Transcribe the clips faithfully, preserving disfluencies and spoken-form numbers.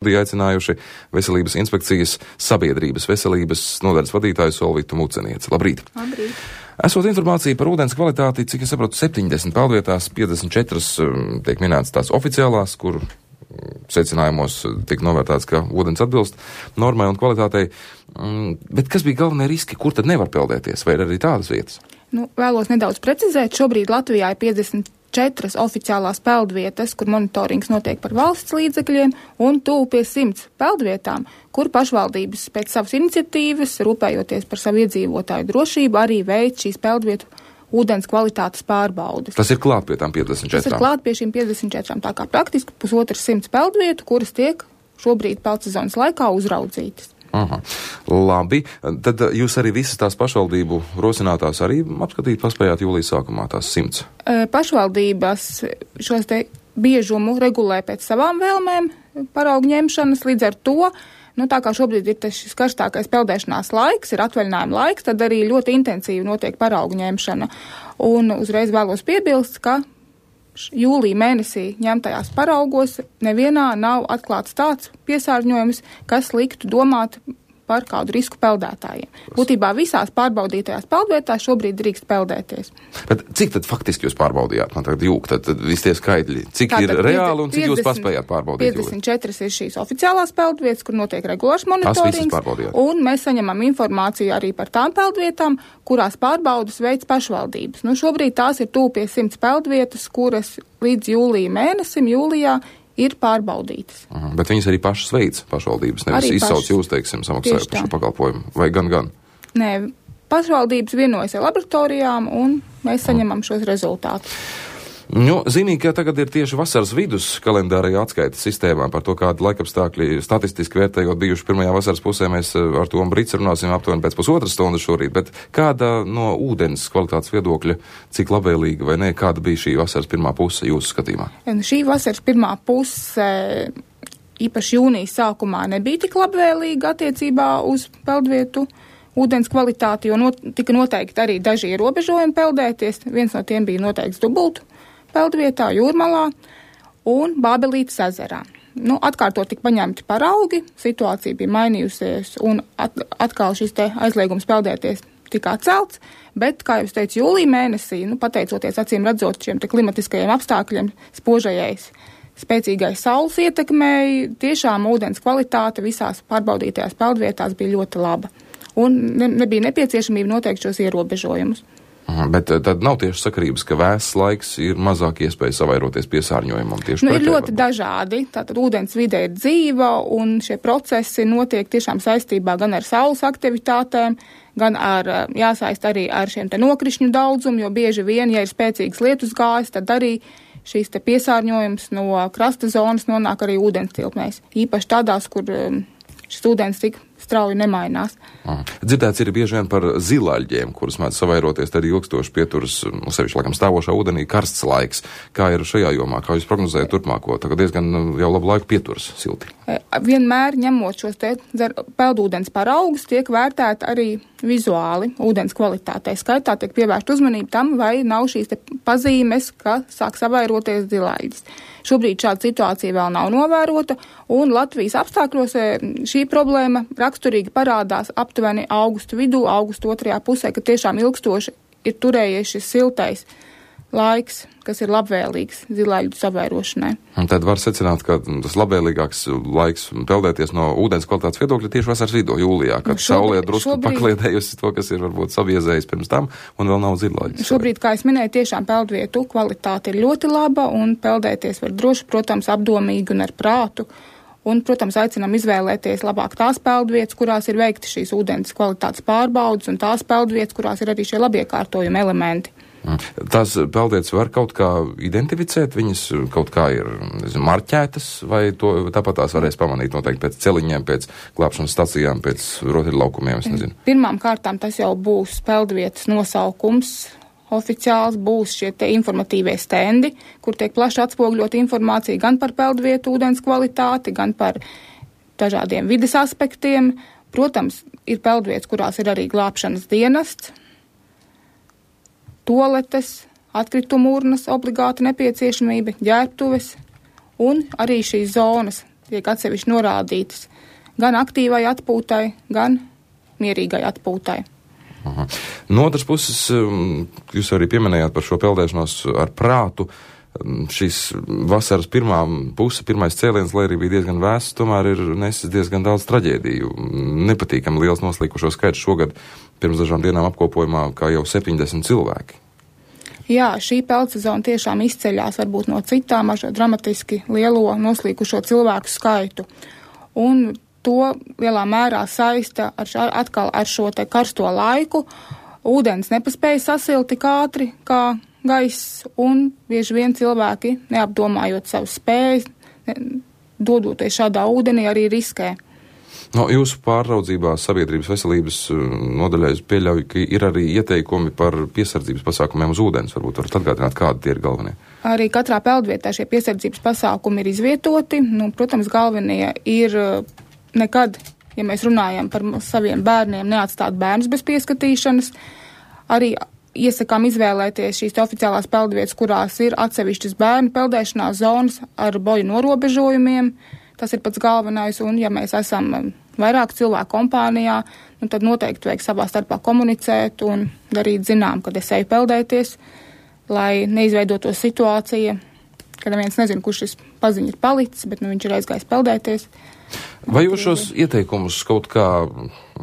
Aicinājuši Veselības inspekcijas sabiedrības veselības nodaļas vadītāju Solvitu Mucenieci. Labrīt! Labrīt! Esot informācija par ūdens kvalitāti, cik es saprotu, septiņdesmit peldvietās, piecdesmit četras tiek minētas tās oficiālās, kur secinājumos tiek novērtāts, ka ūdens atbilst normai un kvalitātei. Bet kas bija galvenie riski, kur tad nevar peldēties, vai ir arī tādas vietas? Nu, vēlos nedaudz precizēt, šobrīd Latvijā ir piecdesmit četras oficiālās peldvietas, kur monitorings notiek par valsts līdzekļiem, un tuvu pie simts peldvietām, kur pašvaldības pēc savas iniciatīvas, rūpējoties par savu iedzīvotāju drošību, arī veic šīs peldvietu ūdens kvalitātes pārbaudes. Tas ir klāt pie tām piecdesmit četrām? Tas ir klāt pie šīm piecdesmit četrām, tā kā praktiski pusotras simts peldvietu, kuras tiek šobrīd peldsezonas laikā uzraudzītas. Aha. Labi, tad jūs arī visas tās pašvaldību rosinātās arī apskatīt paspējāt jūlijas sākumā tās simts? Pašvaldības šos te biežumu regulē pēc savām vēlmēm paraugu ņemšanas, līdz ar to, nu tā kā šobrīd ir šis karstākais peldēšanās laiks, ir atvaļinājuma laiks, tad arī ļoti intensīvi notiek paraugu ņemšana. Un uzreiz vēlos piebilst, ka jūlija mēnesī ņemtajās paraugos nevienā nav atklāts tāds piesārņojums, kas liktu domāt par kādu risku peldētājiem. Būtībā visās pārbaudītajās peldvietās šobrīd drīkst peldēties. Bet cik tad faktiski jūs pārbaudījāt? Man tagad jūk, tad, tad visi tie skaidļi. Cik Tātad ir reāli un cik piecdesmit, jūs paspējāt pārbaudīt? piecdesmit četras ir šīs oficiālās peldvietas, kur notiek regulārs monitorings. Un mēs saņemam informāciju arī par tām peldvietām, kurās pārbaudas veids pašvaldības. Nu, šobrīd tās ir tuvu pie simts peldvietas, kuras līdz jūlija mēnesim, jūlijā, ir pārbaudītas. Aha, bet viņas arī pašas veids pašvaldības, nevis izsauc jūs, teiksim, samaksājot par šo pakalpojumu, vai gan gan? Nē, pašvaldības vienojas ar laboratorijām, un mēs saņemam šos rezultātus. Nu, zinīgi, ka tagad ir tieši vasaras vidus kalendārajā atskaites sistēmā par to, kāda laikapstākļi statistiski vērtējot bijuši pirmajā vasaras pusē. Mēs ar to un Brits runāsim aptuveni pēc pusotras stundas šorīt, bet kāda no ūdens kvalitātes viedokļa, cik labvēlīga vai ne, kāda bija šī vasaras pirmā puse jūsu skatījumā? Šī vasaras pirmā puse, īpaši jūnijas sākumā, nebija tik labvēlīga attiecībā uz peldvietu ūdens kvalitāti, jo not, tika noteikti arī daži ierobežojumi peldēties. Viens no tiem bija noteikts dubultu peldvietā, Jūrmalā un Bābelītes ezerā. Nu, atkārtot tika paņemti paraugi, situācija bija mainījusies un at, atkal šis te aizliegums peldēties tika atcelts, bet, kā jau es teicu, jūlija mēnesī, nu, pateicoties acīm redzot šiem te klimatiskajiem apstākļiem, spožajais, spēcīgais saules ietekmei, tiešām ūdens kvalitāte visās pārbaudītajās peldvietās bija ļoti laba. Un ne, nebija nepieciešamība noteikt šos ierobežojumus. Aha, bet tad nav tieši sakarības, ka vēss laiks ir mazāk iespēja savairoties piesārņojumam tieši nu, pretēji? Ir ļoti dažādi. Tātad ūdens vide ir dzīva un šie procesi notiek tiešām saistībā gan ar saules aktivitātēm, gan ar, jāsaist arī ar šiem te nokrišņu daudzumu, jo bieži vien, ja ir spēcīgas lietus gājas, tad arī šīs te piesārņojums no krasta zonas nonāk arī ūdens tilpnēs. Īpaši tādās, kur šis ūdens tik strauji nemainās. Aha. Dzirdēts ir bieži vien par zilaļģiem, kuras mēdz savairoties, tad ilgstoši pieturas, nu, sevišķi laikam stāvošā ūdenī, karsts laiks. Kā ir šajā jomā? Kā jūs prognozējat turpmāko? Tagad diezgan jau labu laiku pieturas silti. Vienmēr ņemot šos te peldūdens paraugus, tiek vērtēta arī vizuāli ūdens kvalitātei. Skaitā tiek pievērst uzmanību tam, vai nav šīs te pazīmes, ka sāk savairoties zilaļģis. Šobrīd šāda situācija vēl nav novērota, un Latvijas apstākļos šī problēma raksturīgi parādās aptuveni augustu vidū, augustu otrajā pusē, kad tiešām ilgstoši ir turējies šis siltais laiks, kas ir labvēlīgs zilaļģu savairošanai. Un tad var secināt, ka tas labvēlīgāks laiks peldēties no ūdens kvalitātes viedokļa tieši vasaras vidū, jūlijā, kad nu saulē drusku šobrīd pakliedējusi to, kas ir varbūt sabiezējis pirms tam, un vēl nav zilaļģis. Šobrīd, kā es minēju, tiešām peldvietu kvalitāte ir ļoti laba, un peldēties var droši, protams, apdomīgi un ar prātu. Un, protams, aicinām izvēlēties labāk tās peldvietas, kurās ir veikti šīs ūdens kvalitātes pārbaudas, un tās peldvietas, kurās ir arī šie labiekārtojumi elementi. Tās peldvietas var kaut kā identificēt, viņas kaut kā ir nezinu, marķētas, vai to tāpat tās varēs pamanīt noteikti pēc celiņiem, pēc glābšanas stacijām, pēc rotaļlaukumiem, es nezinu. Pirmām kārtām tas jau būs peldvietas nosaukums. Oficiāls būs šie te informatīvie stendi, kur tiek plaši atspoguļot informācija gan par peldvietu ūdens kvalitāti, gan par dažādiem vides aspektiem. Protams, ir peldvietas, kurās ir arī glābšanas dienests, toaletes, atkritumu urnas obligāti nepieciešamība, ģērbtuves un arī šīs zonas tiek atsevišķi norādītas gan aktīvai atpūtai, gan mierīgai atpūtai. Aha. No otras puses, jūs arī pieminējāt par šo peldēšanos ar prātu. Šīs vasaras pirmā puse, pirmais cēliens, lai arī bija diezgan vēss, tomēr ir nesis diezgan daudz traģēdiju. Nepatīkami liels noslīkušo skaits šogad pirms dažām dienām apkopojumā, kā jau septiņdesmit cilvēki. Jā, šī peldsezona tiešām izceļās varbūt no citām ar dramatiski lielo noslīkušo cilvēku skaitu. Un to lielā mērā saista ar šā, atkal ar šo te karsto laiku. Ūdens nepaspēja sasilt tik ātri kā gaiss, un bieži vien cilvēki, neapdomājot savas spējas, dodoties šādā ūdenī, arī riskē. No jūsu pārraudzībā sabiedrības veselības nodaļai pieļauju, ka ir arī ieteikumi par piesardzības pasākumiem uz ūdens. Varbūt varat atgādināt, kādi tie ir galvenie? Arī katrā peldvietā šie piesardzības pasākumi ir izvietoti. Nu, protams, galvenie ir nekad, ja mēs runājam par saviem bērniem, neatstāt bērnus bez pieskatīšanas. Arī iesakām izvēlēties šīs oficiālās peldvietas, kurās ir atsevišķas bērnu peldēšanās zonas ar boju norobežojumiem. Tas ir pats galvenais, un ja mēs esam vairāk cilvēku kompānijā, nu tad noteikti vajag savā starpā komunicēt un darīt zinām, kad es eju peldēties, lai neizveidotos situācija, kad neviens nezina, kurš šis paziņa ir palicis, bet nu viņš ir aizgājis peldēties. Vai jūs šos ieteikumus kaut kā,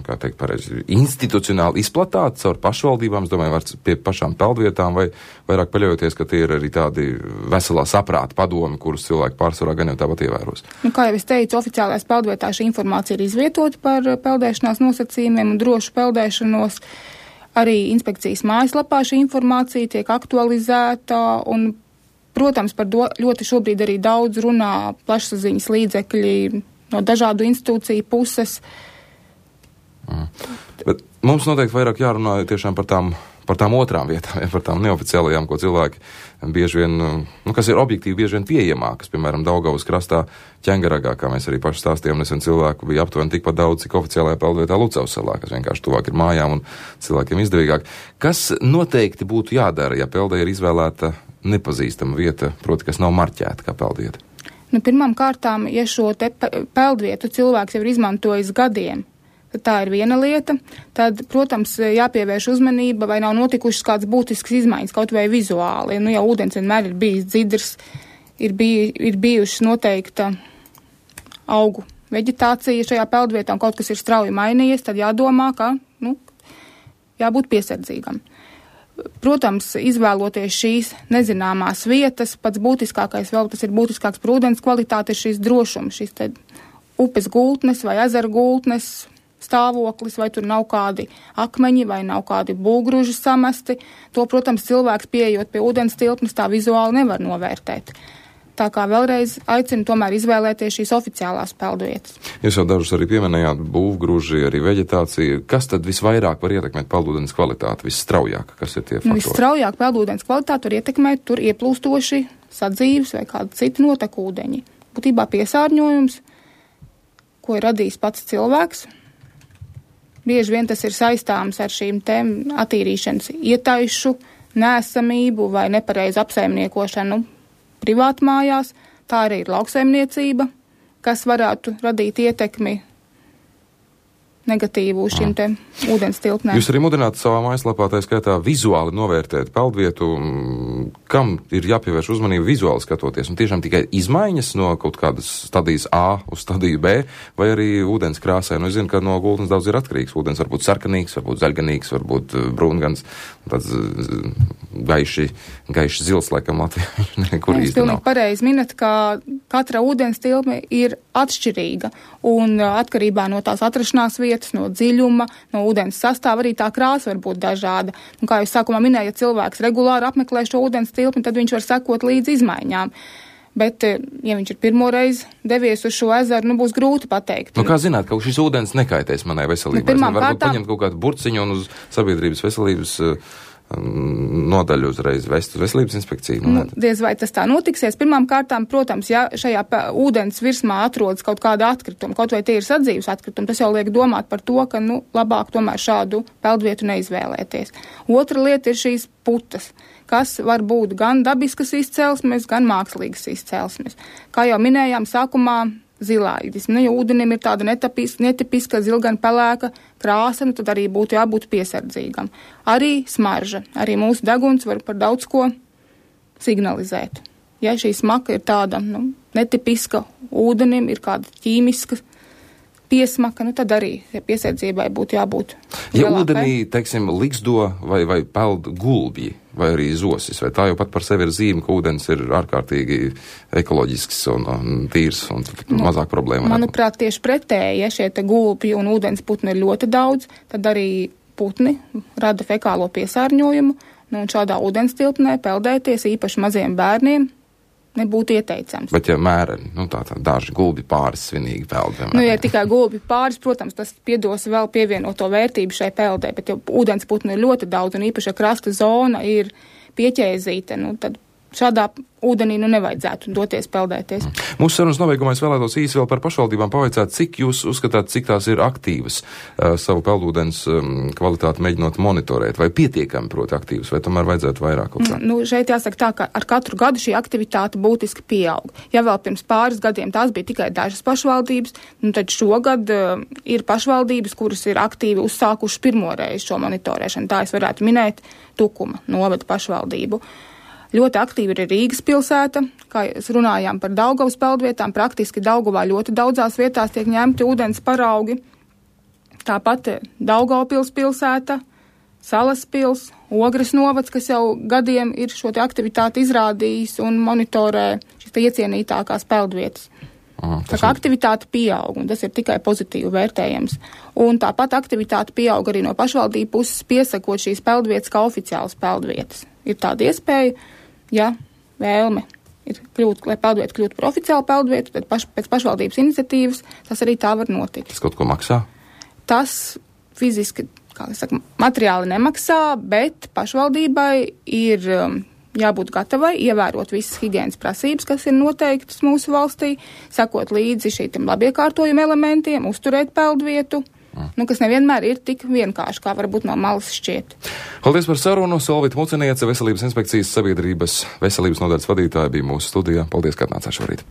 kā teikt pareizi, institucionāli izplatāt caur pašvaldībām, es domāju, var pie pašām peldvietām, vai vairāk paļaujoties, ka tie ir arī tādi veselā saprāta padomi, kurus cilvēki pārsvarā gan jau tāpat ievēros? Nu, kā jau es teicu, oficiālais peldvietā šī informācija ir izvietota par peldēšanās nosacījumiem un drošu peldēšanos. Arī inspekcijas mājaslapā šī informācija tiek aktualizēta un, protams, par do, ļoti šobrīd arī daudz runā plašsaziņas līdzekļi no dažādu institūciju puses. Mm. Bet mums noteikti vairāk jārunā tiešām par tām, par tām otrām vietām, par tām neoficiālajām, ko cilvēki bieži vien, nu, kas ir objektīvi bieži vien pieejamākas, piemēram, Daugavas krastā Ķengaragā, kā mēs arī paši stāstījām, nesen cilvēku bija aptuveni tikpat daudz, cik oficiālajā peldvietā Lucavas salā, kas vienkārši tuvāk ir mājām un cilvēkiem izdevīgāk. Kas noteikti būtu jādara, ja peldē ir izvēlēta nepazīstama vieta, proti, kas nav marķēta kā peldvieta? Nu, pirmām kārtām, ja šo te peldvietu cilvēks jau ir izmantojis gadiem, tad tā ir viena lieta, tad, protams, jāpievērš uzmanība, vai nav notikušas kāds būtisks izmaiņas, kaut vai vizuāli. Nu, ja ūdens vienmēr ir bijis dzidrs, ir, bij, ir bijušas noteikta augu veģetācija šajā peldvietā un kaut kas ir strauji mainījies, tad jādomā, ka, nu, jābūt piesardzīgam. Protams, izvēloties šīs nezināmās vietas, pats būtiskākais, vēl tas ir būtiskāks par ūdens kvalitāti, ir šīs drošums, šīs te upes gultnes vai ezera gultnes stāvoklis, vai tur nav kādi akmeņi vai nav kādi būgruži samesti. To, protams, cilvēks pieejot pie ūdens tilpnes tā vizuāli nevar novērtēt. Tā kā vēlreiz aicinu tomēr izvēlēties šīs oficiālās peldvietas. Jūs jau dažus arī pieminējāt, būvgruži, arī veģetācija. Kas tad visvairāk var ietekmēt peldūdens kvalitāti, visstraujāk? Kas ir tie faktori? Nu, visstraujāk peldūdens kvalitāti var ietekmēt tur ieplūstoši sadzīves vai kādi citi notekūdeņi. Būtībā piesārņojums, ko ir radījis pats cilvēks. Bieži vien tas ir saistāms ar šīm te attīrīšanas ietaišu, nēsamību vai nepareizu apsaimniekošanu privātmājās, tā arī ir lauksaimniecība, kas varētu radīt ietekmi negatīvu uz šīm te ūdens tilpnēm. Jūs arī mudināt savā mājaslapā, tā skaitā, vizuāli novērtēt peldvietu, kam ir jāpievērš uzmanība vizuāli skatoties, un tiešām tikai izmaiņas no kaut kādas stadijas A uz stadiju B, vai arī ūdens krāsai. Nu, es zinu, ka no gultnes daudz ir atkarīgs. Ūdens var būt sarkanīgs, var būt zaļganīgs, var būt brūngans, tāds gaiši, gaiši zils, laikam Latvijā. Nekur īsti nav. Jūs pilnīgi pareizi minat, ka katra ūdens tilpme ir atšķirīga, un atkarībā no tās atrašanās vietas, no dziļuma, no ūdens sastāva arī tā krāsa var būt dažāda. Un kā jūs sākumā minēju, ja cilvēks regulāri apmeklē šo ūdens tilpni, tad viņš var sekot līdz izmaiņām. Bet, ja viņš ir pirmoreiz devies uz šo ezeru, nu būs grūti pateikt. Nu, kā zināt, ka šis ūdens nekaitēs manai veselībai? Nu, varbūt kārtām... paņemt kaut kādu burciņu un uz sabiedrības veselības nodaļu uzreiz vest uz veselības inspekciju. Nu, nu, diez vai tas tā notiksies. Pirmām kārtām, protams, ja šajā ūdens virsmā atrodas kaut kāda atkrituma, kaut vai tie ir sadzīves atkritumi, tas jau liek domāt par to, ka, nu, labāk tomēr šādu peldvietu neizvēlēties. Otra lieta ir šīs putas, kas var būt gan dabiskas izcelsmes, gan mākslīgas izcelsmes. Kā jau minējām, sākumā zilāidis. Nu, ja ūdenim ir tāda netapiska, netipiska zilgan pelēka krāsa, nu, tad arī būtu jābūt piesardzīgam. Arī smarža, arī mūsu deguns var par daudz ko signalizēt. Ja šī smaka ir tāda, nu, netipiska ūdenim, ir kāda ķīmiska piesmaka, nu tad arī ja piesardzībai būtu jābūt Ja lielākai. ūdenī, teiksim, liksdo vai, vai peld gulbji, vai arī zosis, vai tā jau pat par sevi ir zīme, ka ūdens ir ārkārtīgi ekoloģisks un, un tīrs un nu, mazāk problēma. Manuprāt, tieši pretēji, ja šie te gulbji un ūdens putni ir ļoti daudz, tad arī putni rada fekālo piesārņojumu, nu un šādā ūdens tilpnē peldēties īpaši maziem bērniem nebūtu ieteicams. Bet ja mēreni, nu tā tā daži gulbi pāris svinīgi peld, piemēram. Nu, ja tikai gulbi pāris, protams, tas piedos vēl pievienoto vērtību šai peldē, bet ja ūdens putnu ir ļoti daudz un īpaši, ja krasta zona ir pieķēzīta, nu tad šādā ūdenī nu nevajadzētu doties peldēties. Mūsu sarunas nobeigumā es vēlētos īsi vēl par pašvaldībām pavaicāt, cik jūs uzskatāt, cik tās ir aktīvas uh, savu peldūdens um, kvalitāti mēģinot monitorēt, vai pietiekami proti aktīvas, vai tomēr vajadzētu vairāk kaut kā? Nu, šeit jāsaka tā, ka ar katru gadu šī aktivitāte būtiski pieaug. Ja vēl pirms pāris gadiem tās bija tikai dažas pašvaldības, nu tad šogad uh, ir pašvaldības, kuras ir aktīvi uzsākuši pirmoreiz šo monitorēšanu. Tā es varētu minēt Tukuma novada pašvaldību. Ļoti aktīvi ir Rīgas pilsēta, kā mēs runājām par Daugavas peldvietām, praktiski Daugavā ļoti daudzās vietās tiek ņemti ūdens paraugi. Tāpat Daugavpils pilsēta, Salaspils, Ogres novads, kas jau gadiem ir šo te aktivitāti izrādījis un monitorē šīs te iecienītākās peldvietas. Aha, tā kā aktivitāte pieaug, un tas ir tikai pozitīvi vērtējams. Un tāpat aktivitāte pieaug arī no pašvaldību puses piesakot šīs peldvietas kā oficiālas peldvietas. Ir tāda iespēja, ja vēlme ir kļūt, lai peldvieta kļūtu par oficiālu peldvietu, tad paš, pēc pašvaldības iniciatīvas tas arī tā var notikt. Tas kaut ko maksā? Tas fiziski, kā es saku, materiāli nemaksā, bet pašvaldībai ir um, jābūt gatavai ievērot visas higienas prasības, kas ir noteiktas mūsu valstī, sekot līdzi šīm labiekārtojuma elementiem, uzturēt peldvietu, mm. nu, kas nevienmēr ir tik vienkārši, kā varbūt no malas šķiet. Paldies par sarunu. Solvita Muceniece, Veselības inspekcijas sabiedrības veselības nodaļas vadītāja, bija mūsu studijā. Paldies, ka atnācāt šorīt.